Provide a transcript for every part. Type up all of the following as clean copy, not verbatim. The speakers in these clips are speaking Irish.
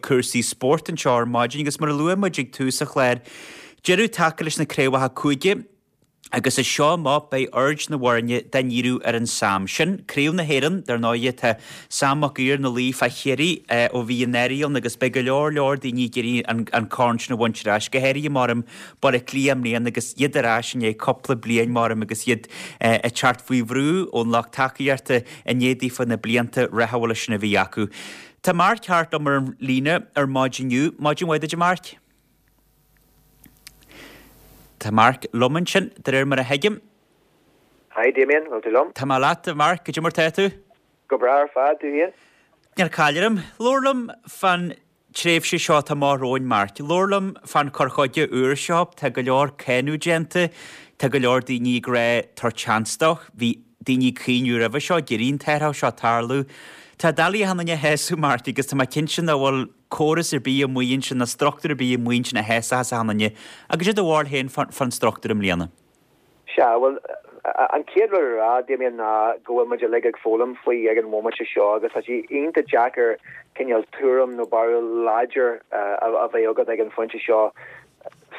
cúrsaí spóirt anseo ar maidin agus mar a luaigh muid ag tús an chláir, deireadh tagtha leis na craobhacha cúige agus as seo amach beidh aird na bhfoirne dá ndíriú ar an Sam. Sin Craobh na hÉireann, dar ndóighe. Tá Sam Mac Uidhir ina luí fá Chiarraí ó bhí an earraigh ann agus beidh go leor leor daoine ag iarraidh an corn sin a bhaint ar ais, go háirithe maram Baile Átha Cliath i mbliana agus iad ar ais i ndiaidh cúpla bliain maram agus iad ag teacht faoi bhrú ón lucht tacaíochta i ndiaidh daofa na blianta rathúla sin a bhí acu. Tá Mark Harte liom ar an líne ar maidin inniu. Maidin mhaith duit a Mharc. Tá Mark liom ansin, de réir mar a thuigim. Hi Damien, bhfuil tú liom? Tá mé leat, a Mharc, cad é mar tá tú? Go breá ar fad, tú féin? Níl caill orm. Labhair liom fán tréimhse seo atá amach romhainn, Mark. Labhair liom fán chur chuige úr seo. Tá go leor cáineadh déanta, tá go leor daoine ag rá tabhair chance dó. Bhí daoine ag caoineadh roimhe seo, ag iarraidh an t-athrach seo tarlú. Tá doiligh achan duine a shásamh, Mark, agus tá mé cinnte nach bhfuil córas ar bith amuigh ansin ná struchtúr ar bith amuigh ansin a shásóchas achan duine. Cad é do bharúil féin fán struchtúr i mbliana. Sea, bhuel, an chéad rud a rá, Damien, ná go bhfuil muid uilig ag foghlaim faoi ag an bhomaite seo agus tá sé iontach deacair cineál tuairim nó barúil láidir a bheith agat ag an phointe seo.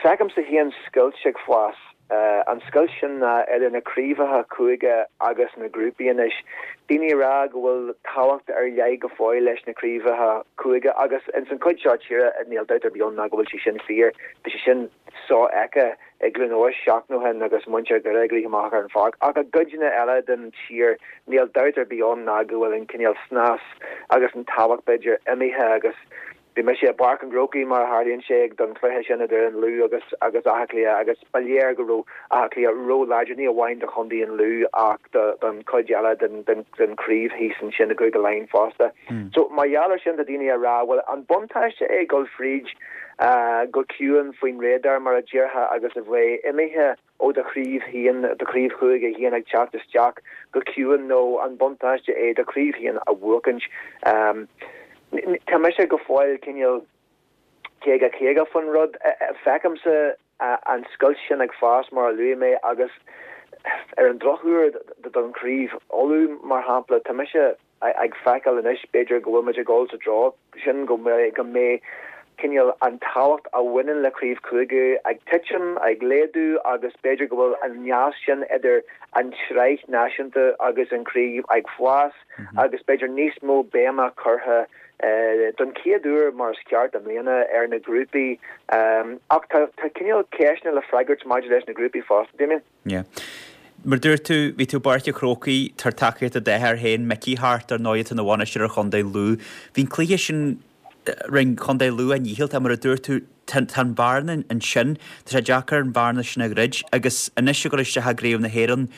Feicimse féin scoilt ag fás. An scoilt sin ná idir na craobhacha cúige agus na grúpaí anois. Daoine ag rá go bhfuil tábhacht ar leith go fóill leis na craobhacha cúige agus ins an chuid seo tíre níl dabht ar bith ann ná go bhfuil sé sin fíor. Bhí sé sin sofheicthe i gCluain Eois seachtain ó shin agus muintir Dhoire ag rith amach ar an pháirc. Ach i gcuideanna eile den tír níl dabht ar bith ann ná go bhfuil an cineál snas agus an tábhacht b'fhéidir imithe agus bhí mise i bPáirc an Chrócaigh mar a tharlaíonn sé ag don chluiche sin idir an Lú agus agus Áth Cliath agus ba léir go raibh Áth Cliath ró-láidir ní amháin do chontae an Lú ach do don chuid eile den den den chraobh thíos ansin i gCúige Laighean fosta. So mar gheall ar sin tá daoine ag rá bhuel an buntáiste é dul fríd go ciúin faoin radar mar a déarfá agus a bheith imithe ó do chraobh féin, do chraobh chúige féin ag teacht isteach go ciúin nó an buntáiste é do chraobh féin a bhuachaint. Tá mise go fóill cineál 50 50 faoin rud. Feicimse an scoilt sin ag fás mar a luaigh mé agus ar an drochuair don chraobh Uladh mar shampla, tá mise ag feiceáil anois, b'fhéidir, go bhfuil muid ag dul sa treo sin, go mbeidh cineál an tábhacht a bhaineann le craobh cúige ag titim, ag laghdú agus b'fhéidir go bhfuil an nasc sin idir an tsraith náisiúnta agus an chraobh ag fás agus b'fhéidir níos mó béime curtha don chéad uair mar is ceart i mbliana ar na grúpaí. Ach tá cineál ceisteanna le freagairt maidir leis na grúpaí fosta, Damien. Yeah. Mar dúirt tú, bhí tú i bPáirc an Chrócaigh, tabhair tacaíocht do d'athair féin, Mickey Harte, ar ndóigh, atá ina bhainisteoir ar Chontae Lú. Bhí an cluiche sin, rinne Contae Lú a ndícheall, tá, mar a dúirt tú, tá an bhearna ansin, tá sé deacair an bhearna sin a dhruid agus anois ag dul isteach i gCraobh na hÉireann,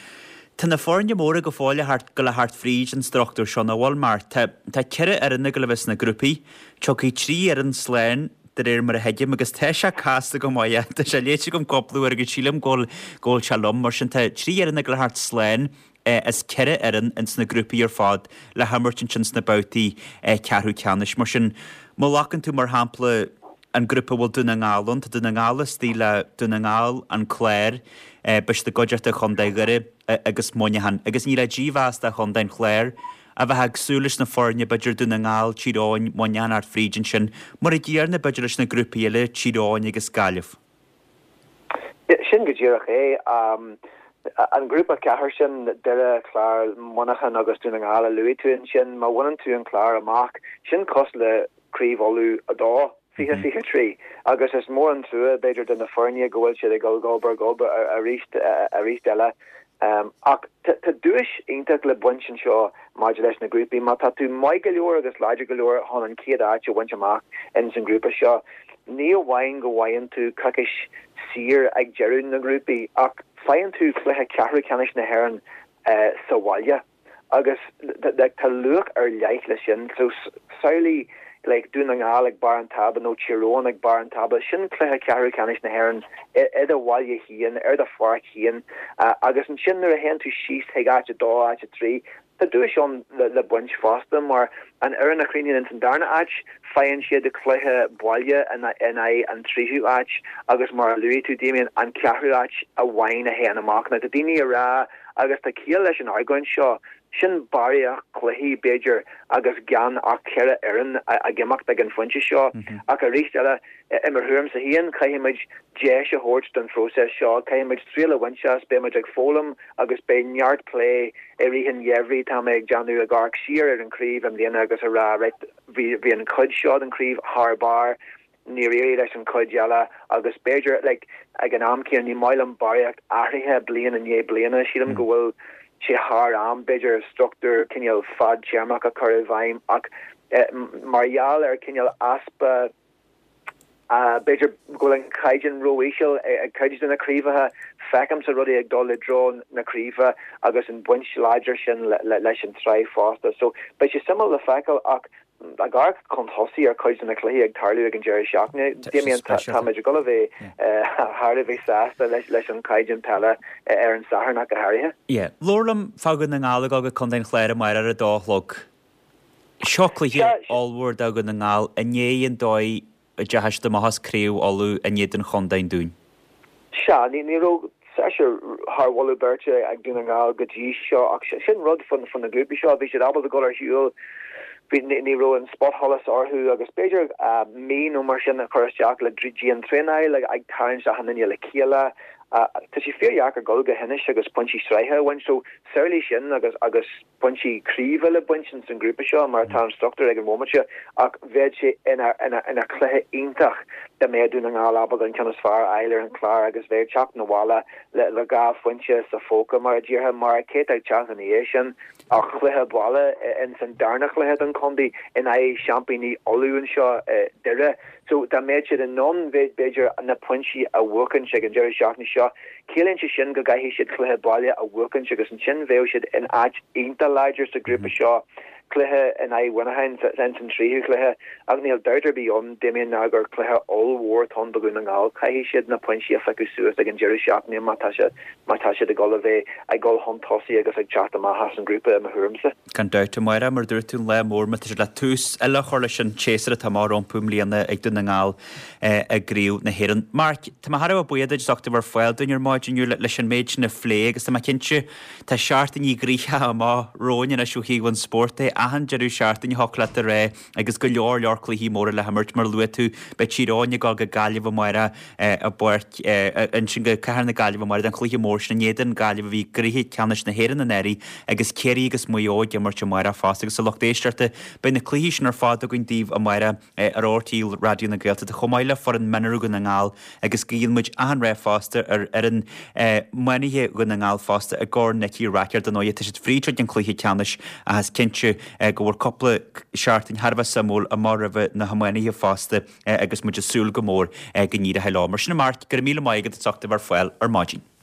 tá na foirne móra go fóill ag gabháil a theacht fríd an struchtúr seo, nach bhfuil, mar tá 4 fhoireann ag gabháil a bheith sna grúpaí, tiocfaidh 3 fhoireann slán, de réir mar a thuigim, agus tá sé casta go maith, tá sé léite agam cúpla uair agus sílim go bhfuil, go bhfuil sé liom. Mar sin tá 3 fhoireann ag gabháil a theacht slán as 4 fhoireann ins na grúpaí ar fad le himirt ansin sna babhtaí ceathrú ceannais. Mar sin, má ghlacann tú mar shampla an grúpa a bhfuil Dún na nGall ann, tá Dún na nGall istigh le Dún na nGall, an Clár, beidh siad i gcuideachta Chontae Dhoire agus Muineachán. Agus ní le dímheas do Chontae an Chláir, a bheith ag súil leis na foirne, b'fhéidir Dún na nGall, Tír Eoghain, Muineachán a theacht fríd ansin, mar a gcéanna b'fhéidir leis na grúpaí eile, Tír Eoghain agus Gaillimh. Sin go díreach é. An grúpa 4 sin, Doire, Clár, Muineachán agus Dún na nGall a luaigh tú ansin, má bhaineann tú an Clár amach, sin cosúil le Craobh Uladh 2, 2023 agus is mór an trua, b'fhéidir, do na foirne go bhfuil siad ag dul gob ar ghob arís arís eile. Ach tá duais iontach le baint anseo maidir leis na grúpaí. Má tá tú maith go leor agus láidir go leor chun an chéad áit a bhaint amach ins an ghrúpa seo, ní amháin go bhfaigheann tú coicís saor ag deireadh na ngrúpaí ach faigheann tú cluiche ceathrú ceannais na hÉireann sa bhaile. Agus like tá luach ar leith leis sin. So samhlaigh like Dún na nGall ag barr an tábla nó Tír Eoghain ag barr an tábla, sin cluiche ceathrú ceannais na hÉireann i do bhaile féin, ar do pháirc féin. Agus ansin nuair a théann tú síos chuig áit a dó, áit a trí, tá duais ann le baint fosta mar an fhoireann a chríochnaíonn ins an darna áit, faigheann siad cluiche baile in aghaidh an tríú áit agus mar a luaigh tú Damien, an ceathrú áit amháin a théann amach. Now tá daoine ag rá Agus tá ciall leis an argóint seo. Sin barraíocht cluichí, b'fhéidir, agus gan ach 4 fhoireann ag imeacht ag an phointe seo. Ach arís eile, i mo thuairimse féin, caithfidh muid deis a thabhairt don phróiseas seo, caithfidh muid triail a bhaint as, beidh muid ag foghlaim agus beidh neart plé i rith an gheimhridh, tá mé ag déanamh, ag amharc siar ar an chraobh i mbliana agus a rá, right, bhí an chuid seo den chraobh thar barr, níor éirigh leis an chuid eile agus b'fhéidir, like, ag an am céanna, ní maith liom barraíocht athraithe bliain i ndiaidh bliana. Sílim go bhfuil sé thar am, b'fhéidir, struchtúr cineál fadtéarmach a chur i bhfeidhm ach mar gheall ar cineál easpa, b'fhéidir go bhfuil an caighdeán ró-íseal ag cuid de na craobhacha, feicimse rudaí ag dul i dtreo na craoibhe agus an baint láidir sin leis an tsraith fosta. So beidh sé suimiúil le feiceáil ach Ag amharc chun tosaigh ar chuid de na cluichí ag tarlú ag an deireadh seachtaine, Damien, táimid ag dul a bheith thar a bheith sásta leis an chaighdeán peile ar an Satharn ach go háirithe. Yeah. Labhair liom fá Dhún na nGall ag dul go Contae an Chláir amárach ar a dó a chlog. Seo cluiche ollmhór do Dhún na nGall i ndiaidh an dóigh a dteachaigh siad amach as Craobh Uladh in éadan Chontae an Dúin. Sea, ní raibh seisear thar mholadh beirte ag Dún na nGall go dtí seo ach sin rud faoi na grúpaí seo, bhí siad ábalta dul ar shiúl, bhí, ní raibh an spotsholas orthu agus b'fhéidir mí nó mar sin a chur isteach le dian-traenáil, ag tarraingt achan duine le chéile. Tá sé fíordheacair dul go hInis agus pointí sraithe a bhaint so samhlaigh sin agus agus. pointí craoibhe le baint ins an grúpa seo mar atá an struchtúr ag an bhomaite seo ach bheadh sé ina ina chluiche iontach dá mbeadh Dún na nGall ábalta an ceann is fearr a fháil ar an Chlár agus bheith ag teacht 'na bhaile le le 2 phointe sa phóca mar a déarfá mar cé atá ag teacht ina dhiaidh sin ach cluiche baile ins an darna chluiche don chontae in aghaidh seaimpíní Uladh anseo i Doire. So dá mbeadh siad in ann b'fhéidir na pointí a bhuachaint ag an deireadh seachtaine seo Ciallaíonn sé sin go gcaithfidh siad cluiche baile a bhuachaint agus ansin bheadh siad in áit iontach láidir sa ghrúpa seo, cluiche in aghaidh Mhuineacháin ins an tríú cluiche. Ach níl dabht ar bith ann, Damien, ná gur cluiche ollmhór atá ann do Dhún na nGall. Caithfidh siad na pointí a phiocadh suas ag an deireadh seachtaine má tá siad má tá siad ag dul a bheith ag dul chun tosaigh agus ag teacht amach as an ngrúpa i mo thuairimse. Gan dabht, amárach, mar a dúirt tú, an lá mór má tá siad le tús eile a chur leis an tséasúr atá amach rompu i mbliana ag Dún na nGall. i gCraobh na hÉireann. Mark, tá mé thar a bheith buíoch duit as ucht a bheith ar fáil dúinn ar maidin inniu leis an méid sin a phlé agus tá mé cinnte tá seachtain ghnoitheach amach romhainn anois ó thaobh an spóirt de. Achan deireadh seachtaine thiocfadh leat a rá agus go leor leor cluichí móra le himirt mar a luaigh tú beidh Tír Eoghain ag dul go Gaillimh amárach i bPáirc ansin go Cathair na Gaillimhe amárach don chluiche mór sin in éadan Gaillimh a bhí i gcluiche ceannais na hÉireann anuraidh agus Ciarraí agus Maigh Eo ag imirt amárach fosta agus a lucht éisteachta beidh na cluichí sin ar fad againn daoibh amárach. ar RTÉ Raidió na Gaeltachta chomh maith le foireann mionúir Dhún na nGall agus guíonn muid achan rath fosta ar fhoireann iománaithe Dhún na nGall fosta i gCorn Nicky Rackard ar ndóigh. Tá siad fríd chuig an cluiche ceannais ach is cinnte go bhfuil cúpla seachtain thar a bheith suimiúil amach roimhe na hiománaithe fosta agus muid ag súil go mór go n-éireoidh leo. Mar sin a Mark, go raibh míle maith agat as ucht a bheith ar fáil ar maidin.